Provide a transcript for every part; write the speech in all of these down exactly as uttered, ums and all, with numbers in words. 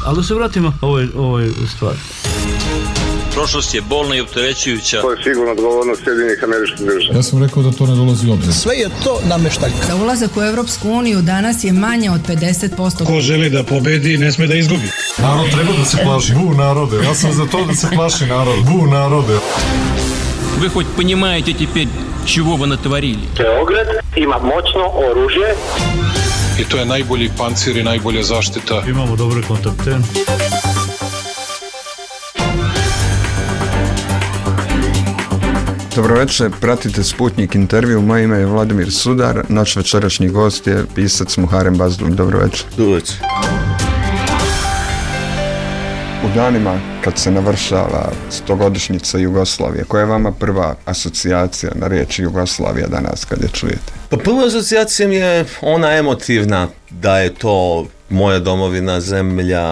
Ali da se vratimo ovoj, ovoj stvari. Prošlost je bolna i opterećujuća. To je sigurno odgovornost Sjedinjenih Američkih Država. Ja sam rekao da to ne dolazi u obzir. Sve je to namještaljka. Za ulazak u Evropsku uniju danas je manje od pedeset posto. Ko želi da pobedi, ne sme da izgubi. Narod treba da se plaši. Bu narode. Ja sam za to da se plaši narod. Bu narode. Вы хоть понимаете теперь, чего вы натворили? Beograd ima moćno oružje. I to je najbolji pancir i najbolja zaštita. Imamo dobre kontakte. Dobroveče, pratite Sputnik intervju, moje ime je Vladimir Sudar, naš večerašnji gost je pisac Muharem Bazdulj. Dobroveče. Dobroveče. U danima kad se navršava stogodišnjica Jugoslavije, koja je vama prva asocijacija na riječ Jugoslavija danas kad je čujete? Pa prva asocijacija mi je ona emotivna, da je to moja domovina, zemlja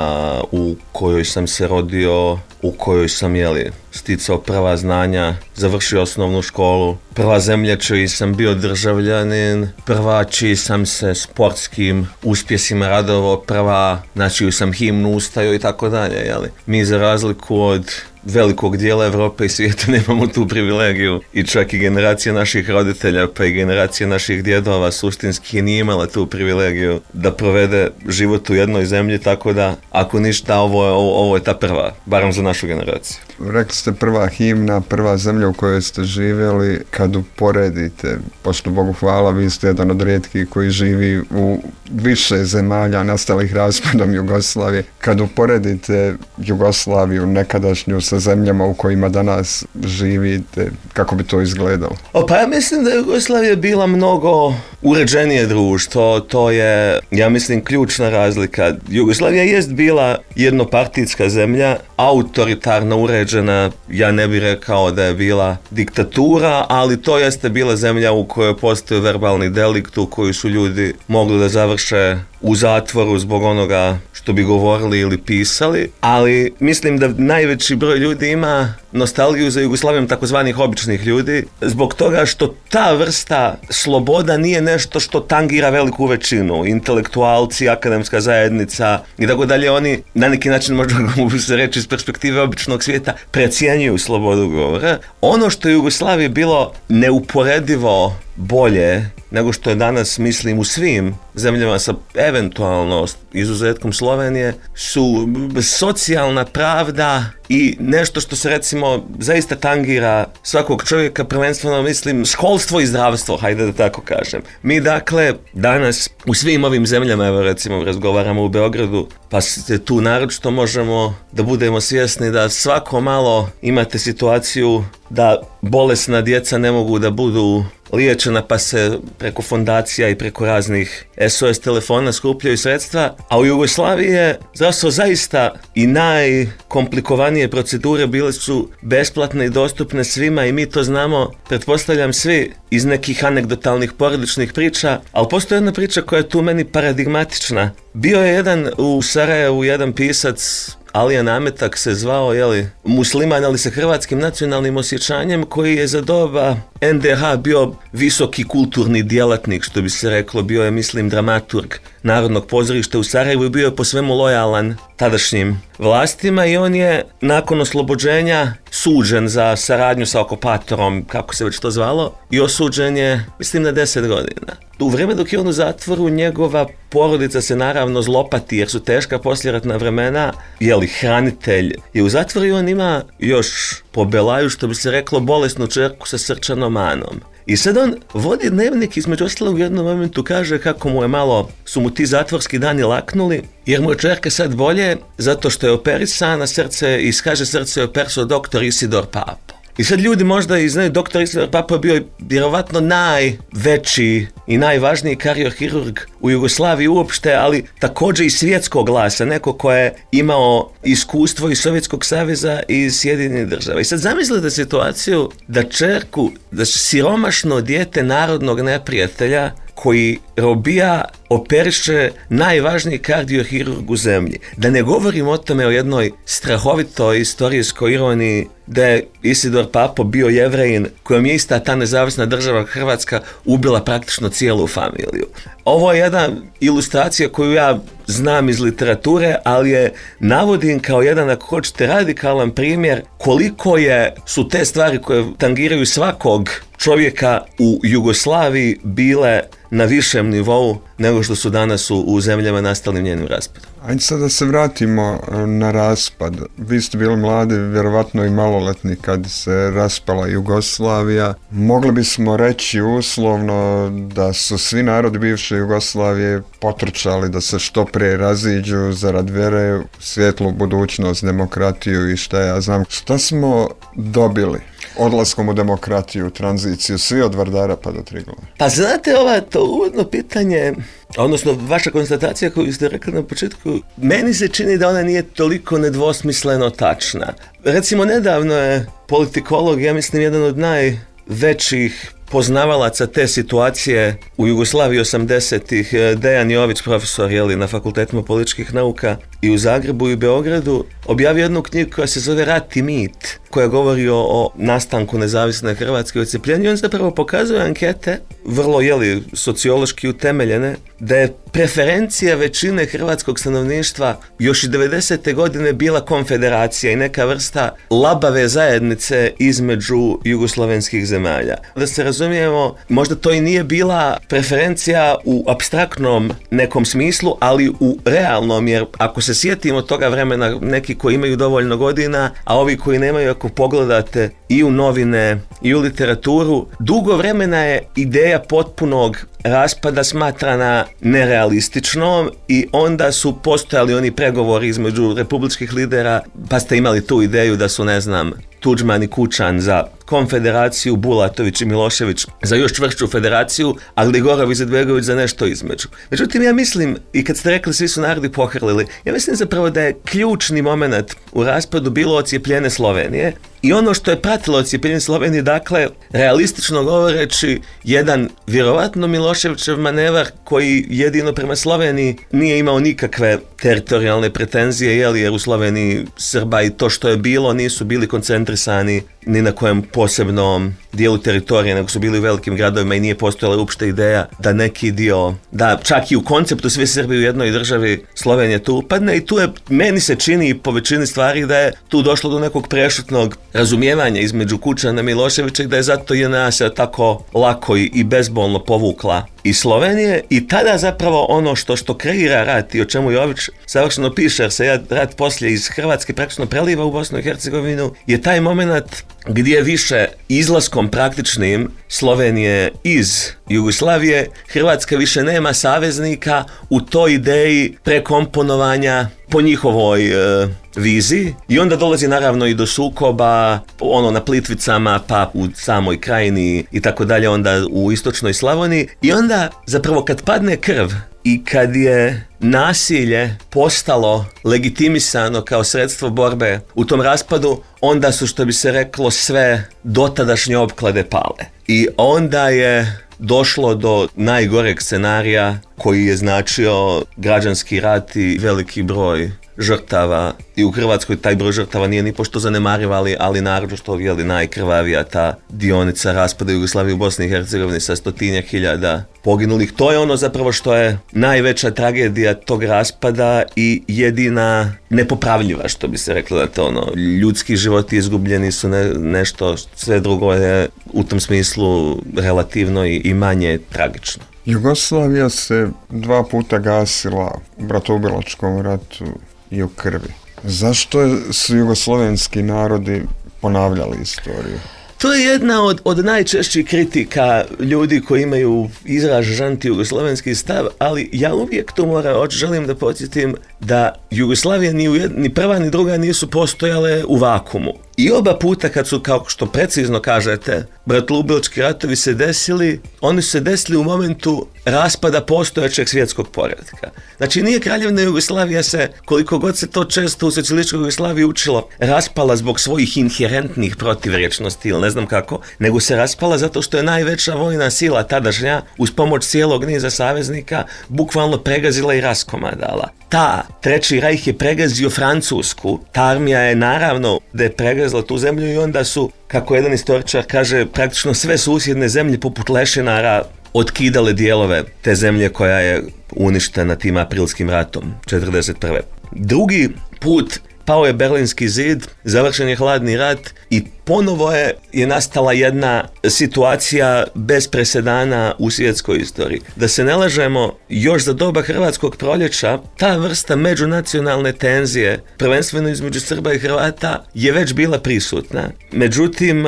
u kojoj sam se rodio, u kojoj sam, jeli, sticao prva znanja, završio osnovnu školu, prva zemlja čiji sam bio državljanin, prva čiji sam se sportskim uspjesima radovao, prva na čiju sam himnu ustajao i tako dalje, jeli. Mi za razliku od velikog dijela Evrope i svijeta nemamo tu privilegiju i čak i generacija naših roditelja pa i generacija naših djedova suštinski nije imala tu privilegiju da provede život u jednoj zemlji, tako da ako ništa ovo, ovo, ovo je ta prva, barem za našu generaciju. Rekli ste prva himna, prva zemlja u kojoj ste živjeli. Kad uporedite, pošto Bogu hvala, vi ste jedan od rijetkih koji živi u više zemalja nastalih raspadom Jugoslavije. Kad uporedite Jugoslaviju nekadašnju sa zemljama u kojima danas živite, kako bi to izgledalo? O, pa ja mislim da je Jugoslavija bila mnogo uređenije društvo, to je, ja mislim, ključna razlika. Jugoslavija jest bila jednopartijska zemlja, autoritarno uređena, ja ne bih rekao da je bila diktatura, ali to jeste bila zemlja u kojoj postoji verbalni delikt, u kojoj su ljudi mogli da završe u zatvoru zbog onoga što bi govorili ili pisali, ali mislim da najveći broj ljudi ima nostalgiju za Jugoslavijom takozvanih običnih ljudi, zbog toga što ta vrsta sloboda nije nešto što tangira veliku većinu, intelektualci, akademska zajednica i tako dalje, oni na neki način, možda mogu se reći iz perspektive običnog svijeta, precijenjuju slobodu govora. Ono što je Jugoslaviji bilo neuporedivo bolje nego što je danas, mislim, u svim zemljama sa eventualno izuzetkom Slovenije, su socijalna pravda i nešto što se, recimo, zaista tangira svakog čovjeka, prvenstveno, mislim, školstvo i zdravstvo, hajde da tako kažem. Mi, dakle, danas u svim ovim zemljama, evo, recimo, razgovaramo u Beogradu, pa tu naročito možemo da budemo svjesni da svako malo imate situaciju da bolesna djeca ne mogu da budu liječena, pa se preko fondacija i preko raznih S O S telefona skupljaju sredstva, a u Jugoslaviji je zdravstvo zaista i najkomplikovanije procedure bile su besplatne i dostupne svima i mi to znamo, pretpostavljam, svi iz nekih anegdotalnih porodičnih priča, ali postoji jedna priča koja je tu meni paradigmatična. Bio je jedan u Sarajevu, jedan pisac, Alija Nametak se zvao, jeli, musliman, ali sa hrvatskim nacionalnim osjećanjem, koji je za doba N D H bio visoki kulturni djelatnik, što bi se reklo, bio je, mislim, dramaturg Narodnog pozorišta u Sarajevu i bio je po svemu lojalan tadašnjim vlastima i on je nakon oslobođenja suđen za saradnju sa okupatorom, kako se već to zvalo, i osuđen je, mislim, na deset godina. U vrijeme dok je on u zatvoru, njegova porodica se naravno zlopati jer su teška posljeratna vremena, jeli, hranitelj je u zatvoru i on ima još po Belaju, što bi se reklo, bolesnu čerku sa srčanom manom. I sad on vodi dnevnik, između ostalog u jednom momentu kaže kako mu je malo, su mu ti zatvorski dani laknuli, jer mu je čerka sad bolje, zato što je operisana srce i kaže srce je operisao doktor Isidor Papo. I sad ljudi možda i znaju, doktor Isidor Papo je bio vjerovatno najveći i najvažniji kardiohirurg u Jugoslaviji uopšte, ali također i svjetskog glasa, neko ko je imao iskustvo iz Sovjetskog saveza i iz Sjedinjenih država. I sad zamislite situaciju da čerku, da siromašno dijete narodnog neprijatelja koji robija operiše najvažniji kardiohirurg u zemlji. Da ne govorim o tome o jednoj strahovitoj istorijskoj ironiji da je Isidor Papo bio Jevrejin kojom je ista ta nezavisna država Hrvatska ubila praktično cijelu familiju. Ovo je jedna ilustracija koju ja znam iz literature, ali je navodim kao jedan, ako hoćete, radikalan primjer koliko je, su te stvari koje tangiraju svakog čovjeka u Jugoslaviji bile na višem nivou nego što su danas u, u zemljama nastalim njenim raspadom. Ajde sad da se vratimo na raspad. Vi ste bili mladi, vjerovatno i maloletni kad se raspala Jugoslavija. Mogli bismo reći uslovno da su svi narodi bivše Jugoslavije potrčali da se što prije raziđu zarad vjere, svjetlu budućnost, demokratiju i šta ja znam. Šta smo dobili odlaskom u demokratiju, tranziciju, svi od Vardara pa do Triglava? Pa znate, ova to uvodno pitanje, odnosno vaša konstatacija koju ste rekli na početku, meni se čini da ona nije toliko nedvosmisleno tačna. Recimo, nedavno je politikolog, ja mislim, jedan od najvećih poznavalaca te situacije u Jugoslaviji osamdesetih, Dejan Jović, profesor jeli, na fakultetima političkih nauka i u Zagrebu i u Beogradu, objavio jednu knjigu koja se zove Rat i mit, koja govori o, o nastanku nezavisne Hrvatske i odcepljenju. I on zapravo pokazuje ankete, vrlo jeli, sociološki utemeljene, da je preferencija većine hrvatskog stanovništva još i devedesete godine bila konfederacija i neka vrsta labave zajednice između jugoslavenskih zemalja. Da se razumijemo, možda to i nije bila preferencija u apstraktnom nekom smislu, ali u realnom, jer ako se sjetimo toga vremena, neki koji imaju dovoljno godina, a ovi koji nemaju, ako pogledate i u novine i u literaturu, dugo vremena je ideja potpunog raspada smatrana nerealističnom i onda su postojali oni pregovori između republičkih lidera, pa ste imali tu ideju da su, ne znam, Tuđman i Kučan za konfederaciju, Bulatović i Milošević za još čvršću federaciju, a Gligorov i Izetbegović za nešto između. Međutim, ja mislim, i kad ste rekli svi su narodi pohrlili, ja mislim zapravo da je ključni moment u raspadu bilo odcijepljene Slovenije i ono što je pratilo odcijepljenje Slovenije, dakle, realistično govoreći, jedan vjerovatno Miloševićev manevar koji jedino prema Sloveniji nije imao nikakve teritorijalne pretenzije, jeli, jer u Sloveniji Srba i to što je bilo nisu bili koncentrisani ni na kojem posebnom dijelu teritorije, nego su bili u velikim gradovima i nije postojala uopšte ideja da neki dio, da čak i u konceptu svi Srbi u jednoj državi Slovenija tu upadne i tu je, meni se čini po većini stvari da je tu došlo do nekog prešutnog razumijevanja između Kučana i Miloševića i da je zato J N A se tako lako i, i bezbolno povukla i Slovenije i tada zapravo ono što što kreira rat i o čemu Jović savršeno piše, jer se rat poslije iz Hrvatske praktično preliva u Bosnu i Hercegovinu, je taj moment gdje više izlaskom praktičnim Slovenije iz Jugoslavije Hrvatska više nema saveznika u toj ideji prekomponovanja po njihovoj e, viziji i onda dolazi naravno i do sukoba ono na Plitvicama pa u samoj Krajini i tako dalje, onda u istočnoj Slavoniji i onda zapravo kad padne krv i kad je nasilje postalo legitimisano kao sredstvo borbe u tom raspadu, onda su, što bi se reklo, sve dotadašnje opklade pale. I onda je došlo do najgoreg scenarija koji je značio građanski rat i veliki broj žrtava. I u Hrvatskoj taj broj žrtava nije ni pošto zanemariv, ali, ali naravno što je najkrvavija ta dionica raspada Jugoslavije u Bosni i Hercegovini sa stotinjak hiljada poginulih. To je ono zapravo što je najveća tragedija tog raspada i jedina nepopravljiva, što bi se reklo, da to ono, ljudski životi izgubljeni su ne, nešto, sve drugo je u tom smislu relativno i, i manje tragično. Jugoslavija se dva puta gasila u bratoubilačkom ratu i u krvi. Zašto su jugoslovenski narodi ponavljali istoriju? To je jedna od, od najčešćih kritika ljudi koji imaju izražen anti-jugoslovenski stav, ali ja uvijek tu moram, želim da podsjetim da Jugoslavija ni, ujed, ni prva ni druga nisu postojale u vakumu. I oba puta kad su, kao što precizno kažete, bratoljubilački ratovi se desili, oni su se desili u momentu raspada postojećeg svjetskog poretka. Znači nije Kraljevina Jugoslavija se, koliko god se to često u socijalističkoj Jugoslaviji učilo, raspala zbog svojih inherentnih protivrječnosti ili ne znam kako, nego se raspala zato što je najveća vojna sila tadašnja uz pomoć cijelog niza saveznika bukvalno pregazila i raskomadala. Ta Treći rajh je pregazio Francusku, ta armija je naravno da je pregazila tu zemlju i onda su, kako jedan istoričar kaže, praktično sve susjedne zemlje poput lešinara otkidale dijelove te zemlje koja je uništena tim aprilskim ratom četrdeset prve. Drugi put pao je Berlinski zid, završen je hladni rat i ponovo je, je nastala jedna situacija bez presedana u svjetskoj istoriji. Da se ne lažemo, još za doba Hrvatskog proljeća ta vrsta međunacionalne tenzije, prvenstveno između Srba i Hrvata, je već bila prisutna. Međutim,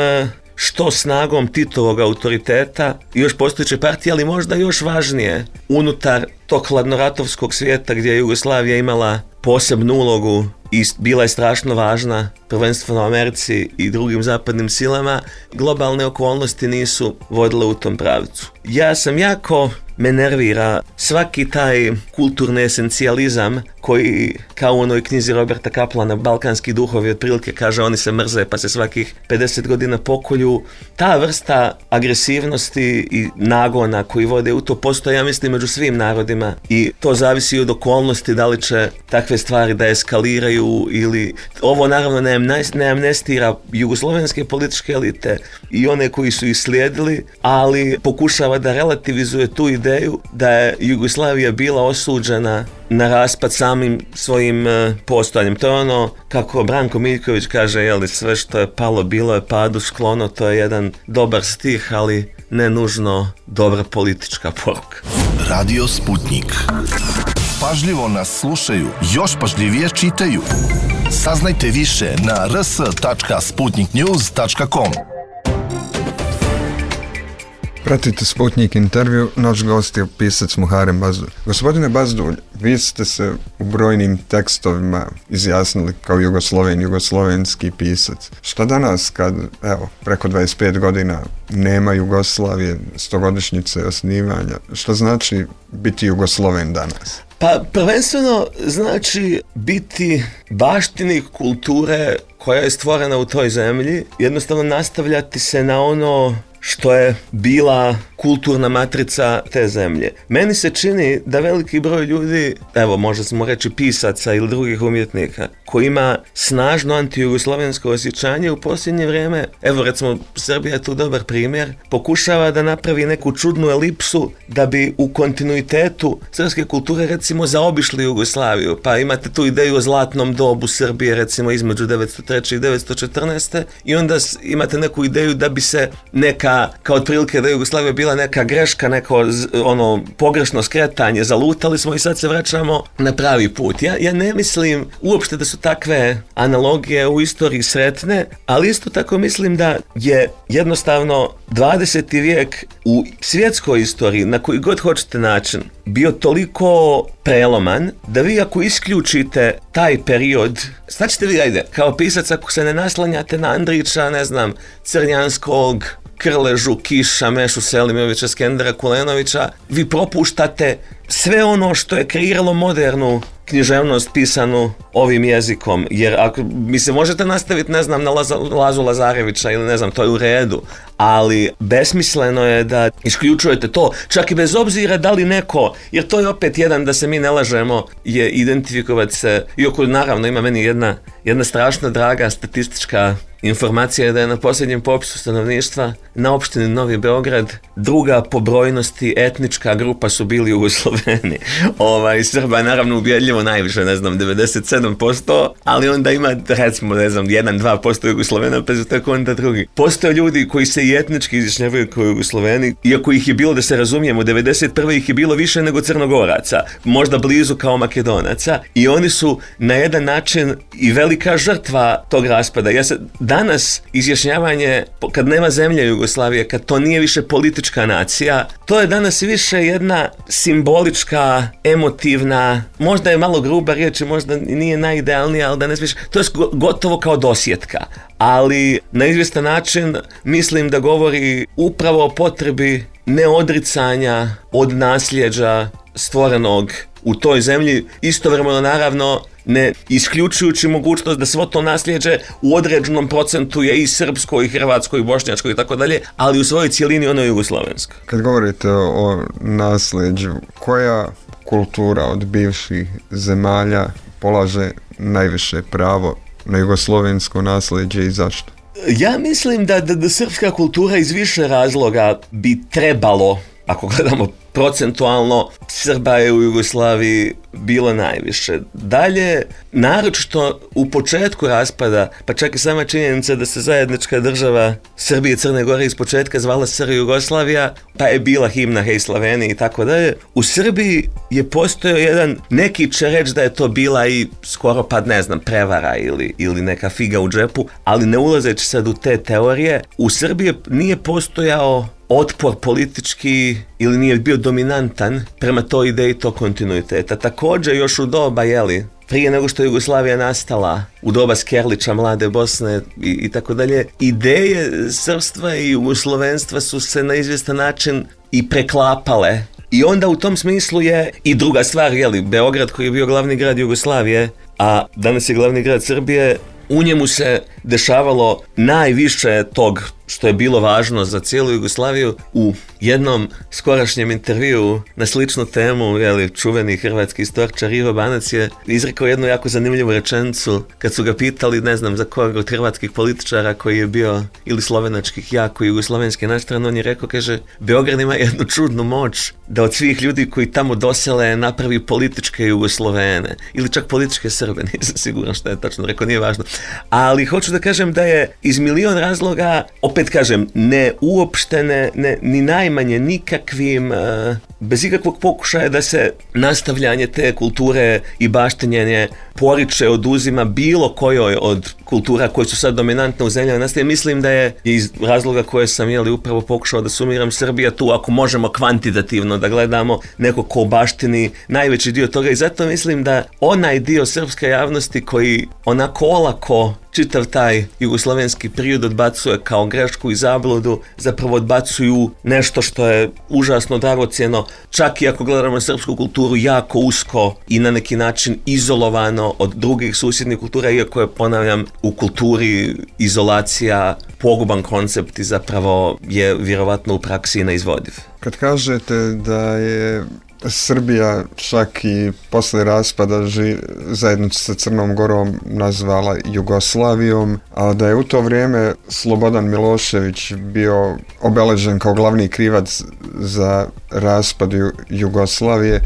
što snagom Titovog autoriteta i još postojeće partije, ali možda još važnije, unutar tog hladnoratovskog svijeta gdje je Jugoslavija imala posebnu ulogu i bila je strašno važna, prvenstveno Americi i drugim zapadnim silama, globalne okolnosti nisu vodile u tom pravcu. Ja sam jako me nervira svaki taj kulturni esencijalizam koji, kao u onoj knjizi Roberta Kaplana, Balkanski duhovi, otprilike kaže oni se mrze pa se svakih pedeset godina pokolju. Ta vrsta agresivnosti i nagona koji vode u to postoje, ja mislim, među svim narodima i to zavisi od okolnosti da li će takve stvari da eskaliraju ili... Ovo naravno ne, ne amnestira jugoslovenske političke elite i one koji su ih slijedili, ali pokušava da relativizuje tu ideju da je Jugoslavija bila osuđena na raspad samim svojim uh, postojanjem. To je ono, kako Branko Miljković kaže, jeli, sve što je palo bilo je padu sklono, to je jedan dobar stih, ali ne nužno dobra politička poruka. Radio Sputnik. Pažljivo nas slušaju, još pažljivije čitaju. Saznajte više na r s tačka sputnik news tačka com. Pratite Sputnik intervju, naš gost je pisac Muharem Bazdulj. Gospodine Bazdulj, vi ste se u brojnim tekstovima izjasnili kao Jugosloven, jugoslovenski pisac. Šta danas kad, evo, preko dvadeset pet godina nema Jugoslavije, stogodišnjice osnivanja, što znači biti Jugosloven danas? Pa prvenstveno znači biti baštinik kulture koja je stvorena u toj zemlji, jednostavno nastavljati se na ono što je bila kulturna matrica te zemlje. Meni se čini da veliki broj ljudi, evo možda smo reći pisaca ili drugih umjetnika, koji ima snažno antijugoslovensko osjećanje u posljednje vrijeme, evo recimo Srbija je tu dobar primjer, pokušava da napravi neku čudnu elipsu da bi u kontinuitetu srpske kulture recimo zaobišli Jugoslaviju. Pa imate tu ideju o zlatnom dobu Srbije recimo između devetsto treće i devetsto četrnaeste i onda imate neku ideju da bi se neka, kao otprilike da je Jugoslavija bila neka greška, neko ono pogrešno skretanje, zalutali smo i sad se vraćamo na pravi put. Ja, ja ne mislim uopšte da su takve analogije u istoriji sretne, ali isto tako mislim da je jednostavno dvadeseti vijek u svjetskoj istoriji, na koji god hoćete način, bio toliko preloman da vi ako isključite taj period, šta ćete vi, ajde, kao pisac ako se ne naslanjate na Andrića, ne znam, Crnjanskog, Krležu, Kiša, Mešu Selimovića, Skendera Kulenovića, vi propuštate sve ono što je kreiralo modernu književnost pisanu ovim jezikom, jer ako, mislim, možete nastaviti, ne znam, na Laza, Lazu Lazarevića ili ne znam, to je u redu, ali besmisleno je da isključujete to, čak i bez obzira da li neko, jer to je opet jedan, da se mi ne lažemo, je identifikovati se, iako naravno ima meni jedna, jedna strašno draga statistička informacija je da je na posljednjem popisu stanovništva na opštini Novi Beograd druga po brojnosti etnička grupa su bili Jugosloveni. Ovaj, Srba je naravno ubjedljivo najviše, ne znam, devedeset sedam posto, ali onda ima, recimo, ne znam, jedan do dva posto Jugoslovena, pa su tako onda drugi. Postoje ljudi koji se i etnički izjašnjavaju kao Jugosloveni, iako ih je bilo, da se razumijemo, devedeset prve ih je bilo više nego Crnogoraca, možda blizu kao Makedonaca, i oni su na jedan način i velika žrtva tog raspada. Ja se danas izjašnjavanje, kad nema zemlje Jugoslavije, kad to nije više politička nacija, to je danas više jedna simbolika simbolička, emotivna, možda je malo gruba riječ, možda nije najidealnija, ali da ne smiješ, to je gotovo kao dosjetka. Ali na izvjestan način mislim da govori upravo o potrebi neodricanja od nasljeđa stvorenog u toj zemlji, istovremeno naravno ne isključujući mogućnost da svo to nasljeđe u određenom procentu je i srpsko, i hrvatsko, i bošnjačko i tako dalje, ali u svojoj cijelini ono je jugoslavensko. Kad govorite o nasljeđu, koja kultura od bivših zemalja polaže najviše pravo na jugoslovensko nasljeđe i zašto? Ja mislim da, da, da srpska kultura iz više razloga bi trebalo, ako gledamo procentualno, Srba je u Jugoslaviji bilo najviše. Dalje, naročito u početku raspada, pa čak i sama činjenica da se zajednička država Srbije i Crne Gore iz početka zvala S R Jugoslavija, pa je bila himna Hej Slaveni i tako dalje. U Srbiji je postojao jedan, neki će reći da je to bila i skoro pa ne znam, prevara ili, ili neka figa u džepu, ali ne ulazeći sad u te teorije, u Srbiji nije postojao otpor politički ili nije bio dominantan prema toj ideji tog kontinuiteta. Također još u doba, jeli, prije nego što je Jugoslavija nastala, u doba Skerlića, Mlade Bosne i, i tako dalje, ideje srpstva i jugoslovenstva su se na izvjestan način i preklapale. I onda u tom smislu je i druga stvar, jeli, Beograd koji je bio glavni grad Jugoslavije, a danas je glavni grad Srbije, u njemu se dešavalo najviše tog što je bilo važno za cijelu Jugoslaviju. U jednom skorašnjem intervjuu na sličnu temu, jeli, čuveni hrvatski istoričar Ivo Banac je izrekao jednu jako zanimljivu rečenicu kad su ga pitali, ne znam za koga od hrvatskih političara koji je bio ili slovenačkih jako jugoslovenski naštran, on je rekao, kaže, Beograd ima jednu čudnu moć da od svih ljudi koji tamo dosele napravi političke Jugoslovene ili čak političke Srbe, nisam siguran što je tačno rekao, nije važno. Ali hoću da kažem da je iz milion razloga, opet kažem, ne uopštene, ne, ni najmanje nikakvim, uh, bez ikakvog pokušaja da se nastavljanje te kulture i baštenjenje poriče, oduzima bilo kojoj od kultura koje su sad dominantne u zemljama nastaje. Mislim da je iz razloga koje sam jeli upravo pokušao da sumiram, Srbija tu, ako možemo kvantitativno da gledamo, neko ko baštini najveći dio toga, i zato mislim da onaj dio srpske javnosti koji onako olako čitav taj jugoslovenski period odbacuje kao grešku i zabludu, zapravo odbacuju nešto što je užasno dragocjeno, čak i ako gledamo srpsku kulturu jako usko i na neki način izolovano od drugih susjednih kultura, iako je, ponavljam, u kulturi izolacija poguban koncept i zapravo je vjerovatno u praksi neizvodiv. Kad kažete da je Srbija čak i posle raspada ži, zajedno sa Crnom Gorom nazvala Jugoslavijom, a da je u to vrijeme Slobodan Milošević bio obeležen kao glavni krivac za raspad Jugoslavije,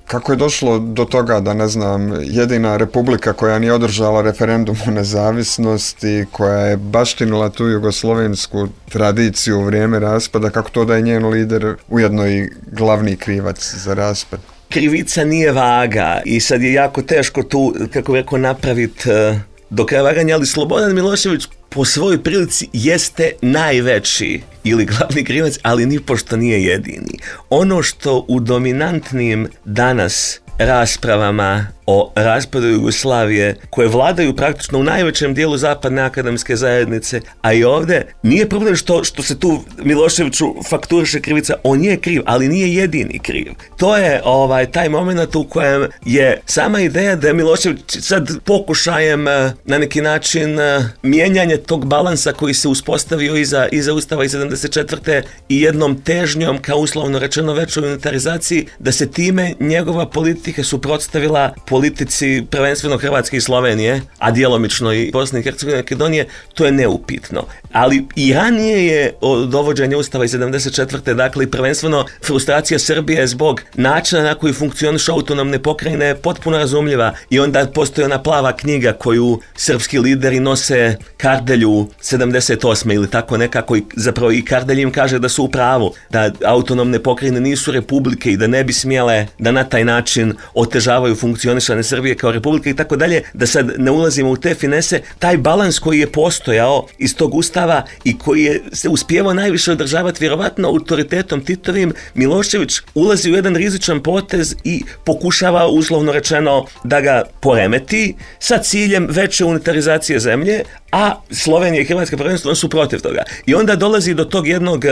kako je došlo do toga da, ne znam, jedina republika koja nije održala referendum o nezavisnosti, koja je baštinila tu jugoslovensku tradiciju u vrijeme raspada, kako to da je njen lider ujedno i glavni krivac za raspad? Krivica nije vaga i sad je jako teško tu, kako bih rekao, napraviti uh, do kraja vaganja, ali Slobodan Milošević po svojoj prilici jeste najveći ili glavni krivac, ali nipošto nije jedini. Ono što u dominantnim danas raspravama o raspadu Jugoslavije, koje vladaju praktično u najvećem dijelu zapadne akademske zajednice, a i ovdje, nije problem što, što se tu Miloševiću fakturiše krivica, on je kriv, ali nije jedini kriv. To je ovaj taj moment u kojem je sama ideja da je Milošević sad pokušajem na neki način mijenjanje tog balansa koji se uspostavio iza, iza Ustava iz sedamdeset četvrte i jednom težnjom, kao uslovno rečeno, većoj unitarizaciji, da se time njegova politika suprotstavila politici prvenstveno Hrvatske i Slovenije, a djelomično i Bosne i Hercegovine i Makedonije, to je neupitno. Ali i ranije je od dovođenja Ustava iz sedamdeset četvrte dakle i prvenstveno frustracija Srbije zbog načina na koji funkcionišu autonomne pokrajine potpuno razumljiva, i onda postoji ona plava knjiga koju srpski lideri nose Kardelju sedamdeset osme ili tako nekako, i zapravo i Kardelj im kaže da su u pravu, da autonomne pokrajine nisu republike i da ne bi smjele da na taj način otežavaju funkcionisanje proglašene Srbije kao republika i tako dalje, da sad ne ulazimo u te finese, taj balans koji je postojao iz tog ustava i koji je se uspijevao najviše održavati vjerovatno autoritetom Titovim, Milošević ulazi u jedan rizičan potez i pokušava uslovno rečeno da ga poremeti sa ciljem veće unitarizacije zemlje, a Slovenija i Hrvatska prvenstveno su protiv toga. I onda dolazi do tog jednog,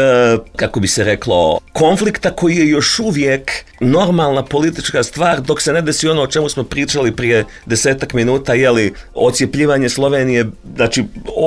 kako bi se reklo, konflikta koji je još uvijek normalna politička stvar dok se ne desi ono o čemu smo pričali prije desetak minuta, jeli odcijepljivanje Slovenije, znači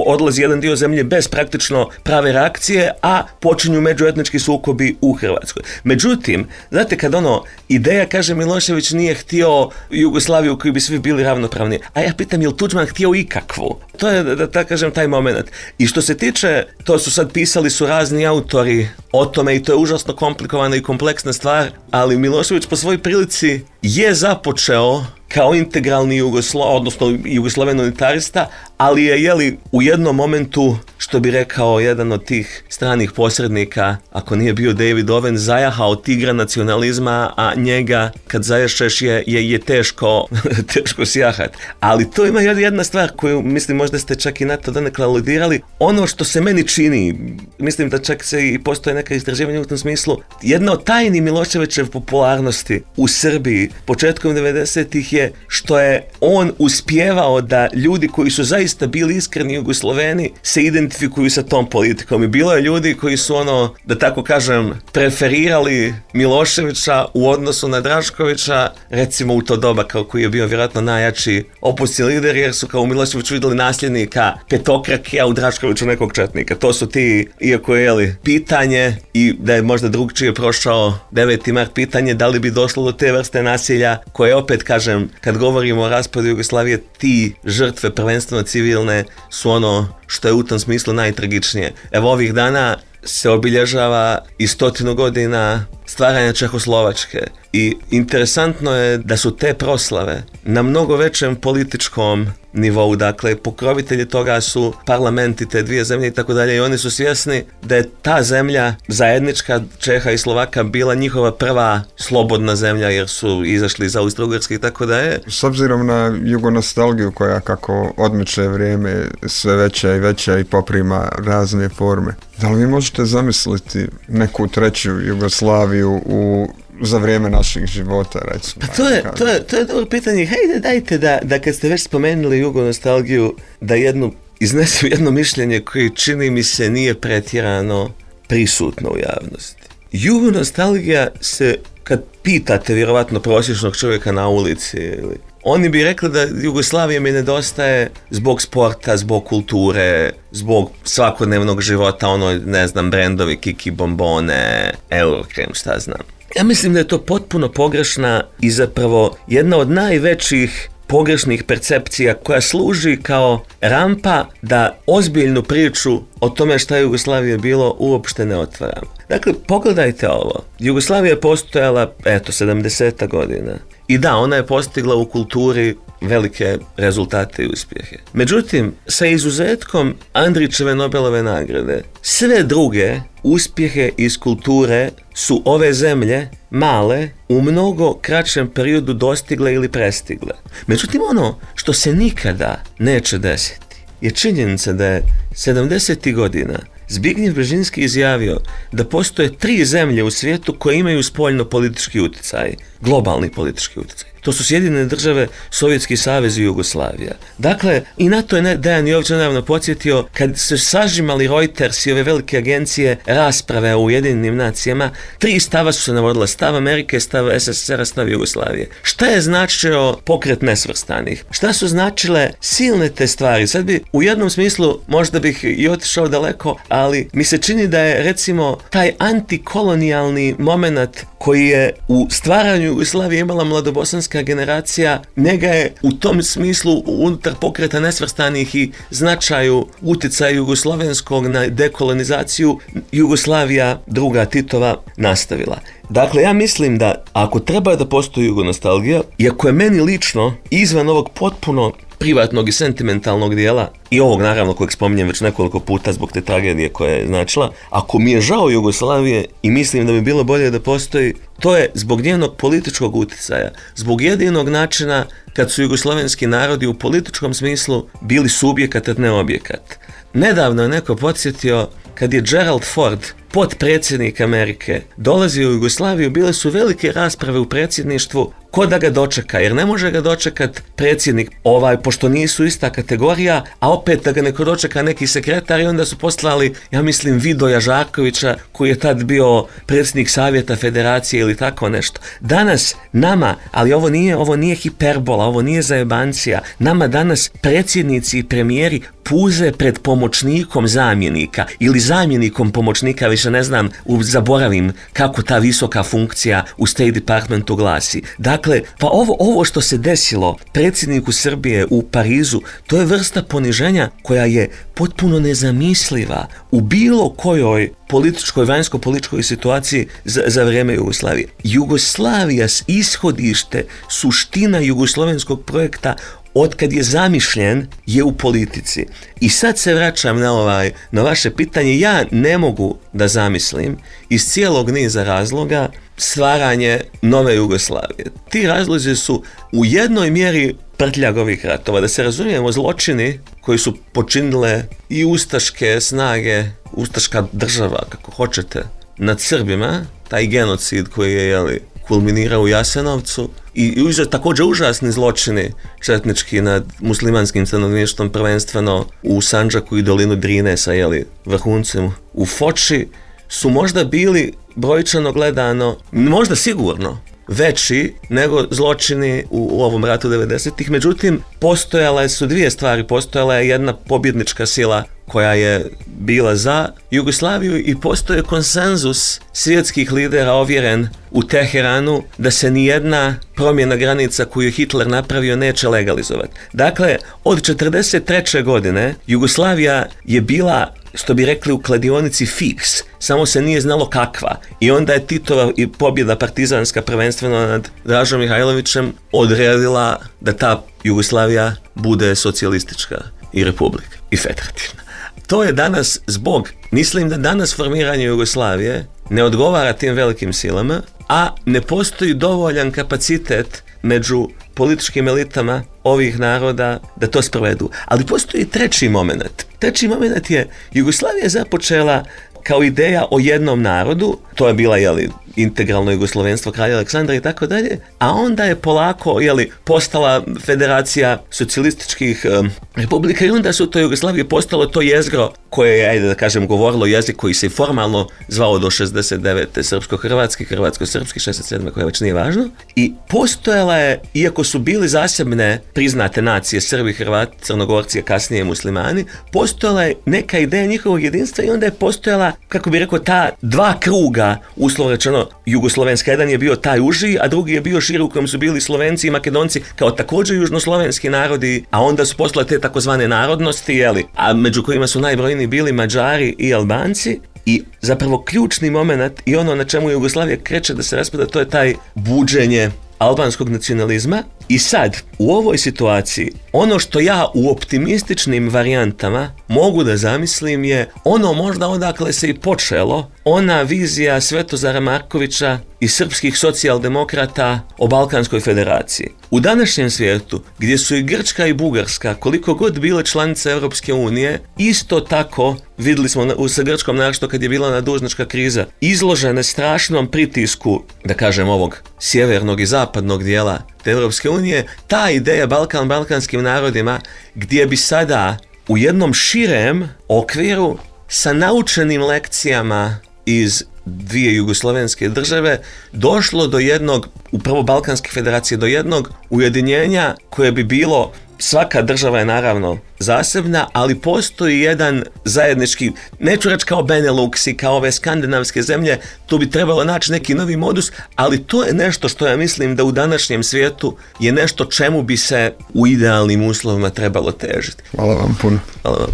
odlazi jedan dio zemlje bez praktično prave reakcije, a počinju međuetnički sukobi u Hrvatskoj. Međutim, znate kad ono, ideja kaže Milošević nije htio Jugoslaviju u kojoj bi svi bili ravnopravni, a ja pitam je li Tuđman htio ikakvu? To je, da tako kažem, taj moment. I što se tiče, to su sad pisali su razni autori o tome i to je užasno komplikovana i kompleksna stvar, ali Milošević po svojoj prilici je započeo kao integralni Jugoslo, odnosno Jugoslaven unitarista, ali je jeli u jednom momentu, što bi rekao jedan od tih stranih posrednika, ako nije bio David Owen, zajahao tigra nacionalizma, a njega kad zajašeš je, je, je teško, teško sjahat. Ali to ima jedna stvar koju, mislim, možda ste čak i na to donekle aludirali. Ono što se meni čini, mislim da čak se i postoje neka istraživanja u tom smislu, jedna od tajni Miloševićeve popularnosti u Srbiji početkom devedesetih je što je on uspijevao da ljudi koji su zaista bili iskreni Jugosloveni se identifikuju sa tom politikom. I bilo je ljudi koji su ono, da tako kažem, preferirali Miloševića u odnosu na Draškovića, recimo u to doba kao koji je bio vjerojatno najjači opozicioni lider, jer su kao u Miloševiću vidjeli nasljednika petokrake, a u Draškoviću nekog četnika. To su ti, iako je jeli, pitanje i da je možda drugčije prošao deveti mart, pitanje da li bi došlo do te vrste nasilja koje opet kažem, kad govorimo o raspadu Jugoslavije, ti žrtve prvenstveno civilne su ono što je u tom smislu najtragičnije. Evo ovih dana se obilježava i stotinu godina stvaranja Čehoslovačke i interesantno je da su te proslave na mnogo većem političkom nivou, dakle pokrovitelji toga su parlamenti te dvije zemlje i tako dalje i oni su svjesni da je ta zemlja zajednička Čeha i Slovaka bila njihova prva slobodna zemlja jer su izašli iz Austro-Ugarske i tako dalje. S obzirom na jugonostalgiju koja kako odmiče vrijeme sve veća i veća i poprima razne forme, da li vi možete zamisliti neku treću Jugoslaviju u za vrijeme naših života, recimo? Pa to je, to je, to je dobro pitanje. Hajde, dajte da, da kad ste već spomenuli jugonostalgiju, da jednu, iznesu jedno mišljenje koje čini mi se nije pretjerano prisutno u javnosti. Jugonostalgija se, kad pitate vjerovatno prosječnog čovjeka na ulici, ili, oni bi rekli da Jugoslavija mi nedostaje zbog sporta, zbog kulture, zbog svakodnevnog života, ono, ne znam, brendovi, Kiki, bombone, Eurokrem, šta znam. Ja mislim da je to potpuno pogrešna i zapravo jedna od najvećih pogrešnih percepcija koja služi kao rampa da ozbiljnu priču o tome šta je Jugoslavija bilo uopšte ne otvaramo. Dakle, pogledajte ovo. Jugoslavija je postojala, eto, sedamdeseta godina. I da, ona je postigla u kulturi velike rezultate i uspjehe. Međutim, sa izuzetkom Andrićeve Nobelove nagrade, sve druge uspjehe iz kulture su ove zemlje male u mnogo kraćem periodu dostigle ili prestigle. Međutim, ono što se nikada neće desiti je činjenica da je sedamdesetih godina Zbignjev Bžežinski izjavio da postoje tri zemlje u svijetu koje imaju spoljno politički utjecaj, globalni politički utjecaj. To su Sjedinjene države, Sovjetski savez i Jugoslavija. Dakle, i na to je Dejan Jović nedavno podsjetio, kad su sažimali Reuters i ove velike agencije rasprave u Ujedinjenim nacijama, tri stava su se navodila: stav Amerike, stav S S S R-a, stav Jugoslavije. Šta je značio pokret nesvrstanih? Šta su značile silne te stvari? Sad bi u jednom smislu, možda bih i otišao daleko, ali mi se čini da je recimo taj antikolonijalni moment koji je u stvaranju Jugoslavije imala mladobosanska generacija, njega je u tom smislu unutar pokreta nesvrstanih i značaju utjecaja jugoslovenskog na dekolonizaciju Jugoslavija druga Titova nastavila. Dakle, ja mislim da ako treba da postoji jugonostalgija, iako je meni lično izvan ovog potpuno privatnog i sentimentalnog dijela i ovog naravno kojeg spominjem već nekoliko puta zbog te tragedije koja je značila, ako mi je žao Jugoslavije i mislim da bi bilo bolje da postoji, to je zbog njenog političkog utjecaja, zbog jedinog načina kad su jugoslavenski narodi u političkom smislu bili subjekat, a ne objekat. Nedavno je neko podsjetio kad je Gerald Ford, potpredsjednik Amerike, dolazio u Jugoslaviju, bile su velike rasprave u predsjedništvu ko da ga dočeka, jer ne može ga dočekat predsjednik ovaj, pošto nisu ista kategorija, a opet da ga neko dočeka neki sekretar i onda su poslali, ja mislim, Vidoja Žarkovića, koji je tad bio predsjednik Savjeta Federacije ili tako nešto. Danas nama, ali ovo nije, ovo nije hiperbola, ovo nije zajebancija, nama danas predsjednici i premijeri puze pred pomoćnikom zamjenika ili zamjenikom pomoćnika, više ne znam, zaboravim kako ta visoka funkcija u State Departmentu glasi. Dakle, pa ovo, ovo što se desilo predsjedniku Srbije u Parizu, to je vrsta poniženja koja je potpuno nezamisliva u bilo kojoj političkoj, vanjsko-političkoj situaciji za, za vrijeme Jugoslavije. Jugoslavija s ishodište, suština jugoslovenskog projekta otkad je zamišljen je u politici. I sad se vraćam na, ovaj, na vaše pitanje, ja ne mogu da zamislim iz cijelog niza razloga stvaranje nove Jugoslavije. Ti razlozi su u jednoj mjeri prtljag ovih ratova. Da se razumijemo, zločini koji su počinile i ustaške snage, ustaška država, kako hoćete, nad Srbima, taj genocid koji je, jeli, kulminirao u Jasenovcu i, i također užasni zločini četnički nad muslimanskim stanovništvom, prvenstveno u Sandžaku i dolinu Drine sa, jeli, vrhuncem u Foči, su možda bili brojčano gledano, možda sigurno, veći nego zločini u, u ovom ratu devedesetih. Međutim, postojale su dvije stvari. Postojala je jedna pobjednička sila koja je bila za Jugoslaviju i postoje konsenzus svjetskih lidera ovjeren u Teheranu da se nijedna promjena granica koju je Hitler napravio neće legalizovati. Dakle, od četrdeset treće godine Jugoslavija je bila, što bi rekli u kladionici, fiks, samo se nije znalo kakva. I onda je Titova i pobjeda partizanska, prvenstveno nad Dražom Mihajlovićem, odredila da ta Jugoslavija bude socijalistička i republika i federativna. To je danas zbog, mislim da danas formiranje Jugoslavije ne odgovara tim velikim silama, a ne postoji dovoljan kapacitet među političkim elitama ovih naroda da to sprovedu. Ali postoji treći moment. Treći moment je, Jugoslavija je započela kao ideja o jednom narodu, to je bila, jeli, integralno jugoslovenstvo kralja Aleksandra i tako dalje, a onda je polako, jeli, postala federacija socijalističkih um, republika i onda su to Jugoslavije postalo to jezgro koje je, ajde da kažem, govorilo jezik koji se formalno zvao do šezdeset devete srpsko-hrvatski, hrvatsko-srpski, šezdeset sedme koje već nije važno, i postojala je, iako su bili zasebne priznate nacije, Srbi, Hrvati, Crnogorci, a kasnije muslimani, postojala je neka ideja njihovog jedinstva i onda je postojala, kako bi rekao, ta dva kruga, uslovno rečeno, jugoslovenska. Jedan je bio taj uži, a drugi je bio širi u kojem su bili Slovenci i Makedonci kao također južnoslovenski narodi, a onda su postale te takozvane narodnosti, jeli, a među kojima su najbrojniji bili Mađari i Albanci. I zapravo ključni moment i ono na čemu Jugoslavija kreće da se raspada, to je taj buđenje albanskog nacionalizma. I sad, u ovoj situaciji, ono što ja u optimističnim varijantama mogu da zamislim je ono možda odakle se i počelo, ona vizija Svetozara Markovića i srpskih socijaldemokrata o Balkanskoj federaciji. U današnjem svijetu, gdje su i Grčka i Bugarska, koliko god bile članice Europske unije, isto tako, vidjeli smo u sa Grčkom, našto kad je bila nadužnička kriza, izložene strašnom pritisku, da kažem, ovog sjevernog i zapadnog dijela te Europske unije, ta ideja Balkan balkanskim narodima, gdje bi sada u jednom širem okviru sa naučenim lekcijama iz dvije jugoslovenske države došlo do jednog, upravo Balkanske federacije, do jednog ujedinjenja koje bi bilo, svaka država je naravno zasebna, ali postoji jedan zajednički, neću reći kao Benelux i kao ove skandinavske zemlje, tu bi trebalo naći neki novi modus, ali to je nešto što ja mislim da u današnjem svijetu je nešto čemu bi se u idealnim uslovima trebalo težiti. Hvala vam puno. Hvala vam.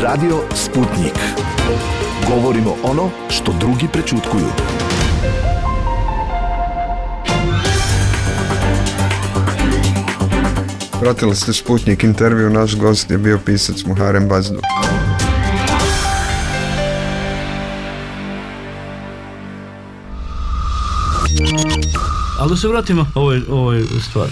Radio Sputnik. Govorimo ono što drugi prečutkuju. Pratili ste Sputnik intervju, naš gost je bio pisac Muharem Bazdu. Ali da se vratimo ovoj, ovoj stvari.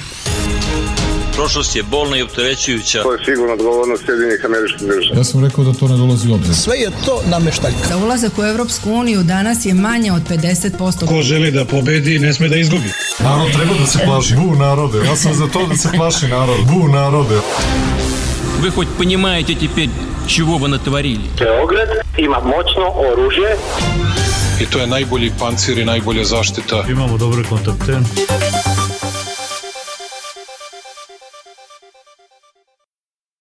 Prošlost je bolna i opterećujuća. To je sigurno odgovornost Sjedinjenih Američkih Država. Ja sam rekao da to ne dolazi u obzir. Sve je to nameštaljka. Za ulazak u Europsku uniju danas je manje od pedeset posto. Ko želi da pobedi, ne sme da izgubi. Narod treba da se plaši. Bu narode, ja sam za to da se plaši narod. Bu narode. Вы хоть понимаете теперь, чего вы натворили? Beograd ima moćno oružje. I to je najbolji pancir i najbolja zaštita. Imamo dobre kontakte.